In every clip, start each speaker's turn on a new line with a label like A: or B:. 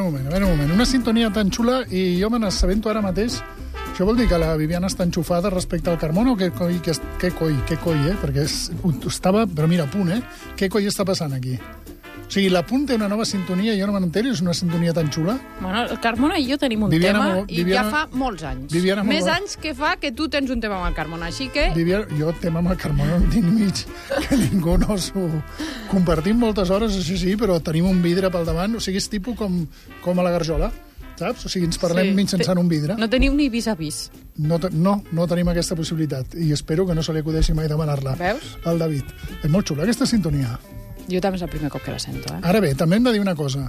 A: un moment. Una sintonia tan xula i jo me n'assabento ara mateix. Això vol dir que la Viviana està enxufada respecte al Carmona o què coi, Perquè estava, però mira, a punt, Què coi està passant aquí? O sigui, la punt té una nova sintonia, jo no me n'entero, és una sintonia tan xula.
B: Bueno, el Carmona i jo tenim un tema i ja fa molts anys. Més anys que fa que tu tens un tema amb el Carmona, així que...
A: Jo tema amb el Carmona no tinc mig, que ningú no s'ho... Compartim moltes hores, això sí, però tenim un vidre pel davant, o sigui, és tipus com a la garjola, saps? O sigui, ens parlem mitjançant un vidre.
B: No teniu ni vis-a-vis.
A: No tenim aquesta possibilitat i espero que no se li acudeixi mai demanar-la.
B: Veus?
A: Al David. És molt xula, aquesta sintonia.
B: Jo també és el primer cop que la sento,
A: Ara bé, també hem de dir una cosa.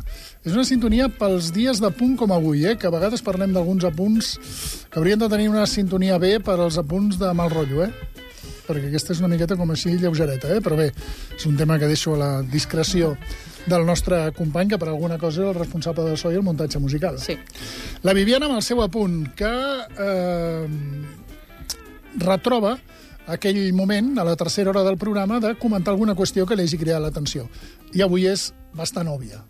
A: És una sintonia pels dies de punt com avui, que a vegades parlem d'alguns apunts que haurien de tenir una sintonia bé per als apunts de mal rotllo, Perquè aquesta és una miqueta com així lleugereta, Però bé, és un tema que deixo a la discreció del nostre company, que per alguna cosa és el responsable del so i el muntatge musical.
B: Sí.
A: La Viviana amb el seu apunt, que retroba aquell moment, a la tercera hora del programa, de comentar alguna qüestió que li hagi creat l'atenció. I avui és bastant òbvia.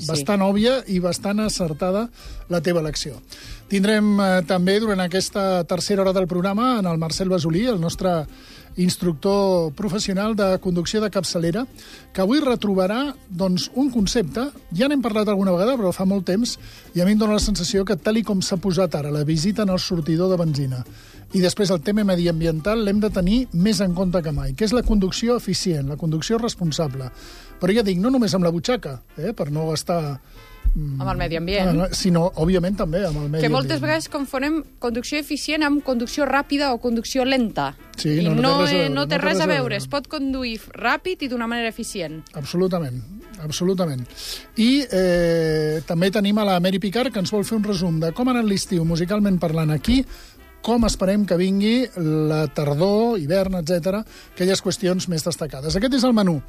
A: Bastant òbvia i bastant acertada la teva elecció. Tindrem també, durant aquesta tercera hora del programa, en el Marcel Basolí, el nostre instructor professional de conducció de capçalera, que avui retrobarà un concepte, ja n'hem parlat alguna vegada, però fa molt temps, i a mi em dóna la sensació que, tal i com s'ha posat ara la visita en el sortidor de benzina i després el tema mediambiental, l'hem de tenir més en compte que mai, que és la conducció eficient, la conducció responsable. Però ja dic, no només amb la butxaca, per no gastar...
B: Amb el medi ambient.
A: Sinó, òbviament, també amb el medi ambient.
B: Que moltes vegades confonem conducció eficient amb conducció ràpida o conducció lenta.
A: Sí,
B: no té res a veure. Es pot conduir ràpid i d'una manera eficient.
A: Absolutament. I també tenim a la Mary Picard, que ens vol fer un resum de com ha anat l'estiu musicalment parlant aquí, com esperem que vingui la tardor, hivern, etc., aquelles qüestions més destacades. Aquest és el menú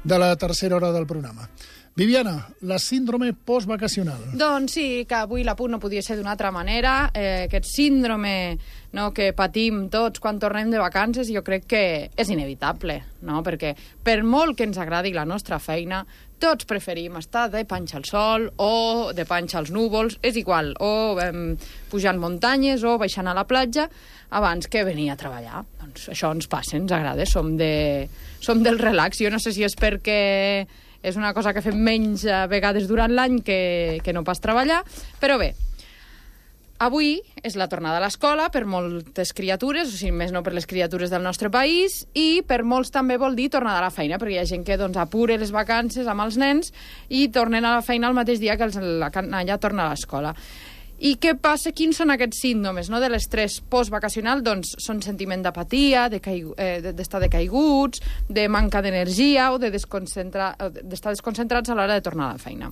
A: de la tercera hora del programa. Viviana, la síndrome postvacacional.
B: Doncs sí, que avui l'apunt no podia ser d'una altra manera. Aquest síndrome que patim tots quan tornem de vacances, jo crec que és inevitable, perquè per molt que ens agradi la nostra feina, tots preferim estar de panxa al sol o de panxa als núvols, és igual, o pujant muntanyes o baixant a la platja abans que venir a treballar. Doncs això ens passa, ens agrada, som del relax. Jo no sé si és perquè és una cosa que fem menys vegades durant l'any que no pas treballar, però bé, avui és la tornada a l'escola per moltes criatures, o sigui, més no per les criatures del nostre país, i per molts també vol dir tornada a la feina, perquè hi ha gent que apura les vacances amb els nens i tornen a la feina el mateix dia que la canalla torna a l'escola. I què passa? Quins són aquests símptomes de l'estrès postvacacional? Doncs són sentiment d'apatia, d'estar decaiguts, de manca d'energia o d'estar desconcentrats a l'hora de tornar a la feina.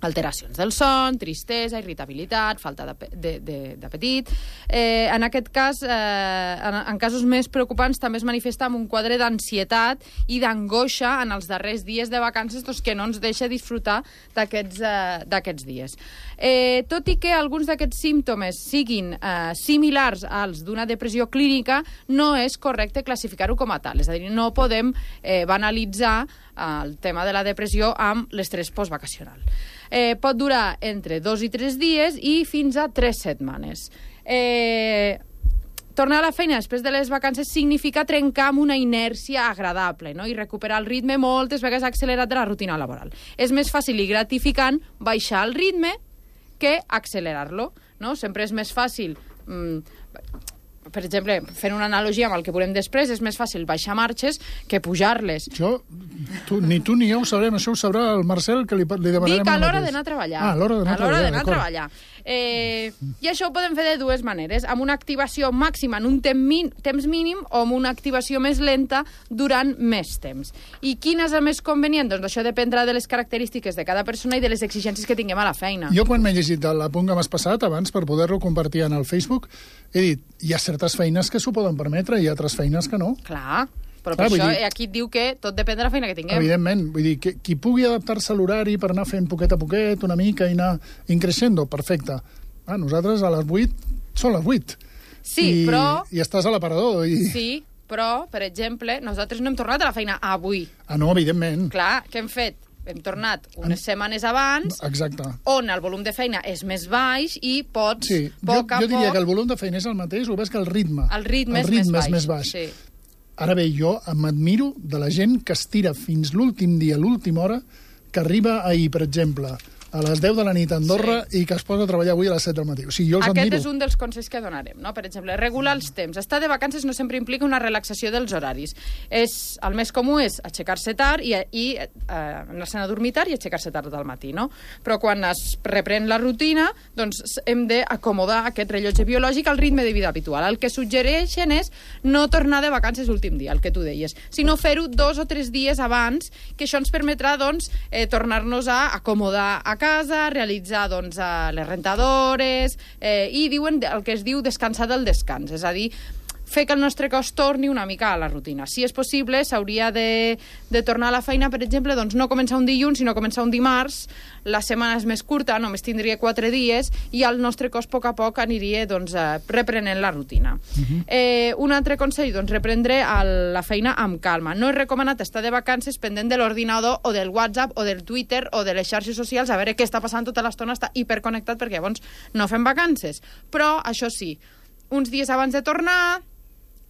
B: Alteracions del son, tristesa, irritabilitat, falta d'apetit. En aquest cas, en casos més preocupants, també es manifesta amb un quadre d'ansietat i d'angoixa en els darrers dies de vacances que no ens deixa disfrutar d'aquests dies. Tot i que alguns d'aquests símptomes siguin similars als d'una depressió clínica, no és correcte classificar-ho com a tal. És a dir, no podem banalitzar el tema de la depressió amb l'estrès postvacacional. Pot durar entre 2 i 3 dies i fins a 3 setmanes. Tornar a la feina després de les vacances significa trencar amb una inèrcia agradable, i recuperar el ritme moltes vegades accelerat de la rutina laboral. És més fàcil i gratificant baixar el ritme que accelerar-lo. Sempre és més fàcil... Per exemple, fent una analogia amb el que veurem després, és més fàcil baixar marxes que pujar-les.
A: Ni tu ni jo ho sabrem, això ho sabrà el Marcel, que li demanarem...
B: Dic a l'hora d'anar a treballar.
A: A l'hora d'anar a treballar.
B: I això ho podem fer de dues maneres, amb una activació màxima en un temps mínim o amb una activació més lenta durant més temps. I quin és el més convenient? Doncs això dependrà de les característiques de cada persona i de les exigències que tinguem a la feina.
A: Jo, quan m'he llegit l'apunt que m'has passat abans per poder-lo compartir en el Facebook, he dit, hi ha certes feines que s'ho poden permetre i altres feines que no.
B: Clar, però per això aquí et diu que tot depèn de la feina que tinguem.
A: Evidentment, vull dir, qui pugui adaptar-se a l'horari per anar fent poquet a poquet, una mica, i anar increixendo, perfecte. Nosaltres a les 8 són les 8.
B: Sí, però...
A: I estàs a l'aparador.
B: Sí, però, per exemple, nosaltres no hem tornat a la feina avui.
A: No, evidentment.
B: Clar, què hem fet? hem tornat unes setmanes abans,
A: exacte,
B: on el volum de feina és més baix i pots,
A: jo diria que el volum de feina és el mateix, el que és que el ritme és més baix.
B: Sí.
A: Ara bé, jo m'admiro de la gent que es tira fins l'últim dia, l'última hora, que arriba ahir, per exemple, a les 10 de la nit a Andorra i que es posa a treballar avui a les 7 del matí. O sigui, jo els admiro.
B: Aquest és un dels consells que donarem, no? Per exemple, regular els temps. Estar de vacances no sempre implica una relaxació dels horaris. El més comú és aixecar-se tard i anar-se'n a dormir tard i aixecar-se tard al matí, no? Però quan es reprèn la rutina, doncs hem d'acomodar aquest rellotge biològic al ritme de vida habitual. El que suggereixen és no tornar de vacances l'últim dia, el que tu deies, sinó fer-ho 2 o 3 dies abans, que això ens permetrà, doncs, tornar-nos a acomodar a casa, realitzar doncs, les rentadores i diuen el que es diu descansar del descans, és a dir, fer que el nostre cos torni una mica a la rutina. Si és possible, s'hauria de tornar a la feina, per exemple, doncs no començar un dilluns, sinó començar un dimarts, la setmana és més curta, només tindria 4 dies, i el nostre cos a poc a poc aniria doncs, reprenent la rutina. Un altre consell, doncs, reprendre la feina amb calma. No és recomanat estar de vacances pendent de l'ordinador o del WhatsApp o del Twitter o de les xarxes socials a veure què està passant tota l'estona, està hiperconnectat perquè llavors no fem vacances. Però, això sí, uns dies abans de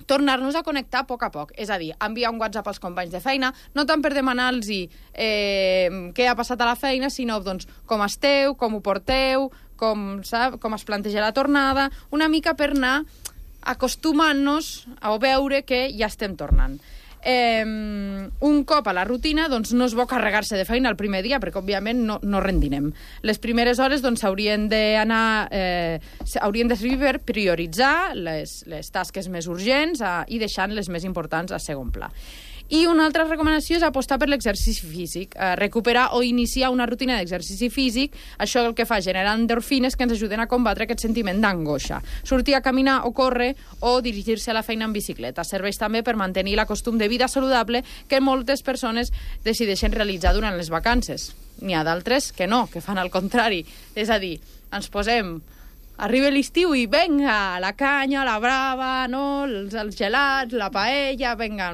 B: tornar-nos a connectar a poc, és a dir, enviar un WhatsApp als companys de feina, no tant per demanar-los què ha passat a la feina, sinó doncs, com esteu, com ho porteu, com es planteja la tornada, una mica per anar acostumant-nos a veure que ja estem tornant. Un cop a la rutina, doncs no és bo carregar-se de feina el primer dia, perquè òbviament no rendinem. Les primeres hores doncs haurien de servir per prioritzar les tasques més urgents i deixant les més importants a segon pla. I una altra recomanació és apostar per l'exercici físic, recuperar o iniciar una rutina d'exercici físic. Això el que fa generar endorfines que ens ajuden a combatre aquest sentiment d'angoixa. Sortir a caminar o córrer o dirigir-se a la feina en bicicleta. Serveix també per mantenir la costum de vida saludable que moltes persones decideixen realitzar durant les vacances. N'hi ha d'altres que no, que fan el contrari. És a dir, ens posem... Arriba l'estiu i venga, la canya, la brava, no? Els gelats, la paella, venga,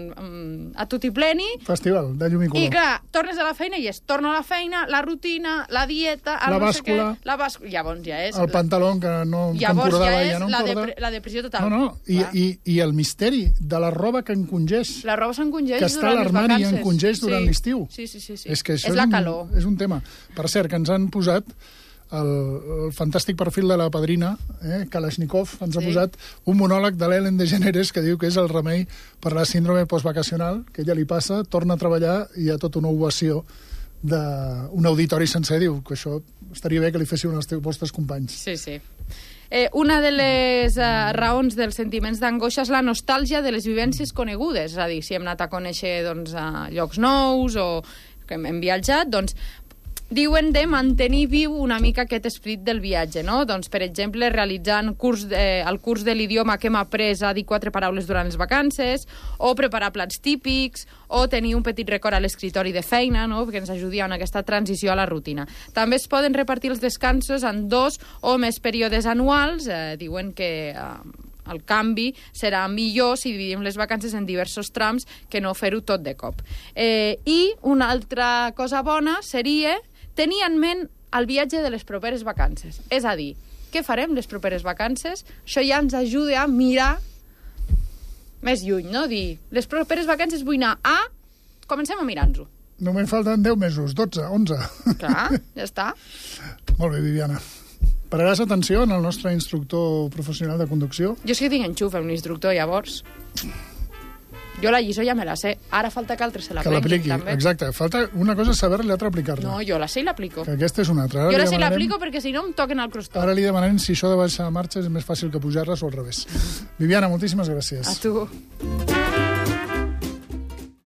B: a tutti pleni.
A: Festival de llum i color.
B: I clar, tornes a la feina i torno a la feina, la rutina, la dieta...
A: La bàscula.
B: Llavors ja és...
A: El pantaló que no encordava ja no encorda.
B: La depressió total.
A: No, i el misteri de la roba que encongeix.
B: La roba s'encongeix
A: que està a l'armari i encongeix durant l'estiu.
B: Sí.
A: És que això
B: és la calor.
A: És un tema. Per cert, que ens han posat el fantàstic perfil de la padrina, Kalashnikov, ens ha posat un monòleg de l'Ellen DeGeneres que diu que és el remei per la síndrome postvacacional, que ella li passa, torna a treballar i hi ha tota una ovació d'un auditori sencer. Diu que això estaria bé que li féssiu als vostres companys.
B: Sí. Una de les raons dels sentiments d'angoixa és la nostàlgia de les vivències conegudes, és a dir, si hem anat a conèixer doncs, a llocs nous o que hem viatjat, doncs diuen de mantenir viu una mica aquest esperit del viatge, no? Doncs, per exemple, realitzant el curs de l'idioma que hem après a dir 4 paraules durant les vacances, o preparar plats típics, o tenir un petit record a l'escritori de feina, no? Que ens ajudi en aquesta transició a la rutina. També es poden repartir els descansos en 2 o més períodes anuals. Diuen que el canvi serà millor si dividim les vacances en diversos trams que no fer-ho tot de cop. I una altra cosa bona seria tenir en ment el viatge de les properes vacances. És a dir, què farem les properes vacances? Això ja ens ajuda a mirar més lluny, no? Dir, les properes vacances vull anar a... Comencem a mirar-nos-ho.
A: Només falten 10 mesos, 12, 11.
B: Clar, ja està.
A: Molt bé, Viviana. Pararàs atenció en el nostre instructor professional de conducció?
B: Jo és que tinc enxuf amb l'instructor, llavors. Jo la lliçó ja me la sé. Ara falta que altres se l'apliqui, també.
A: Exacte. Falta una cosa és saber-la i l'altra aplicar-la.
B: No, jo la sé i l'aplico.
A: Que aquesta és una altra.
B: Jo la sé i l'aplico perquè si no em toquen el crostó.
A: Ara li demanem si això de baixar marxes és més fàcil que pujar-les o al revés. Viviana, moltíssimes gràcies.
B: A tu.